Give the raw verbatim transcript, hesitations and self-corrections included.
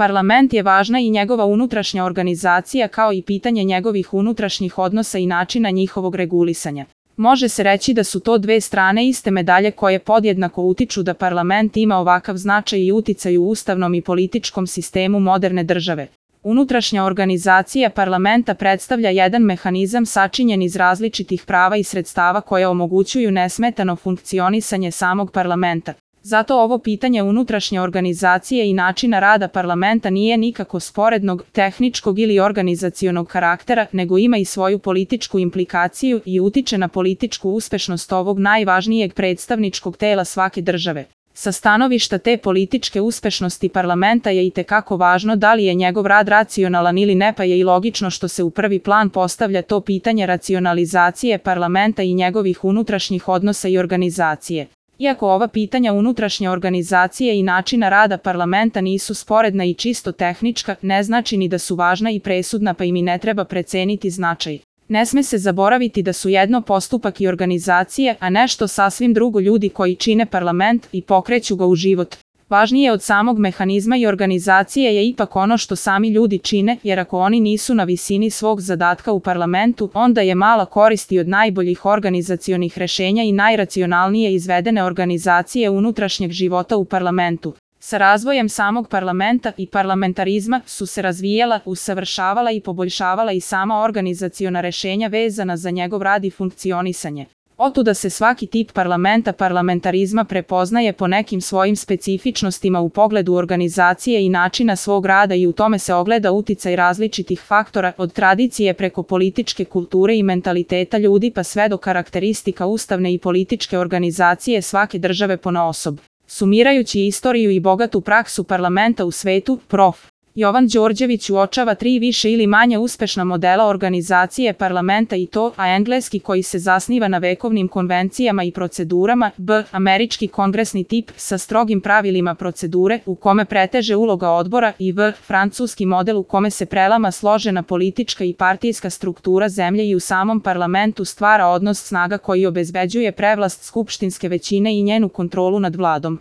parlament je važna i njegova unutrašnja organizacija kao i pitanje njegovih unutrašnjih odnosa i načina njihovog regulisanja. Može se reći da su to dve strane iste medalje koje podjednako utiču da parlament ima ovakav značaj i uticaj u ustavnom i političkom sistemu moderne države. Unutrašnja organizacija parlamenta predstavlja jedan mehanizam sačinjen iz različitih prava i sredstava koje omogućuju nesmetano funkcionisanje samog parlamenta. Zato ovo pitanje unutrašnje organizacije i načina rada parlamenta nije nikako sporednog, tehničkog ili organizacionog karaktera, nego ima i svoju političku implikaciju i utiče na političku uspešnost ovog najvažnijeg predstavničkog tela svake države. Sa stanovišta te političke uspešnosti parlamenta je itekako važno da li je njegov rad racionalan ili ne, pa je i logično što se u prvi plan postavlja to pitanje racionalizacije parlamenta i njegovih unutrašnjih odnosa i organizacije. Iako ova pitanja unutrašnje organizacije i načina rada parlamenta nisu sporedna i čisto tehnička, ne znači ni da su važna i presudna, pa im i ne treba preceniti značaj. Ne sme se zaboraviti da su jedno postupak i organizacije, a nešto sasvim drugo ljudi koji čine parlament i pokreću ga u život. Važnije od samog mehanizma i organizacije je ipak ono što sami ljudi čine, jer ako oni nisu na visini svog zadatka u parlamentu, onda je mala korist i od najboljih organizacionih rešenja i najracionalnije izvedene organizacije unutrašnjeg života u parlamentu. Sa razvojem samog parlamenta i parlamentarizma su se razvijala, usavršavala i poboljšavala i sama organizaciona rešenja vezana za njegov rad i funkcionisanje. Otuda se svaki tip parlamenta parlamentarizma prepoznaje po nekim svojim specifičnostima u pogledu organizacije i načina svog rada i u tome se ogleda uticaj različitih faktora, od tradicije preko političke kulture i mentaliteta ljudi pa sve do karakteristika ustavne i političke organizacije svake države ponaosob. Sumirajući istoriju i bogatu praksu parlamenta u svetu, prof. Jovan Đorđević uočava tri više ili manje uspešna modela organizacije parlamenta i to: A. Engleski koji se zasniva na vekovnim konvencijama i procedurama, B. Američki kongresni tip sa strogim pravilima procedure u kome preteže uloga odbora i V. Francuski model u kome se prelama složena politička i partijska struktura zemlje i u samom parlamentu stvara odnos snaga koji obezbeđuje prevlast skupštinske većine i njenu kontrolu nad vladom.